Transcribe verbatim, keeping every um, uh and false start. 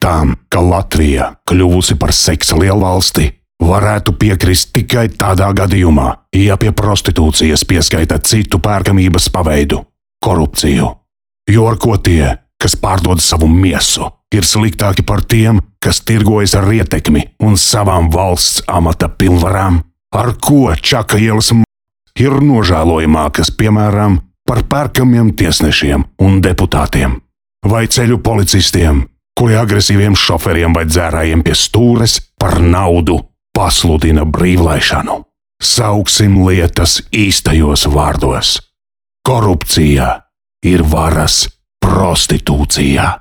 Tam, ka Latvija, kļuvusi par seksa lielvalsti, varētu piekrist tikai tādā gadījumā, ja pie prostitūcijas pieskaita citu pērkamības paveidu – korupciju. Jo ar ko tie, kas pārdod savu miesu, ir sliktāki par tiem, kas tirgojas ar ietekmi un savām valsts amata pilnvarām? Ar ko Čaka ielas m... ir nožēlojamākas, piemēram, par pērkamiem tiesnešiem un deputātiem? Vai ceļu policistiem, kuri agresīviem šoferiem vai dzērājiem pie stūres par naudu pasludina brīvlaišanu? Sauksim lietas īstajos vārdos. Korupcija ir varas prostitūcija.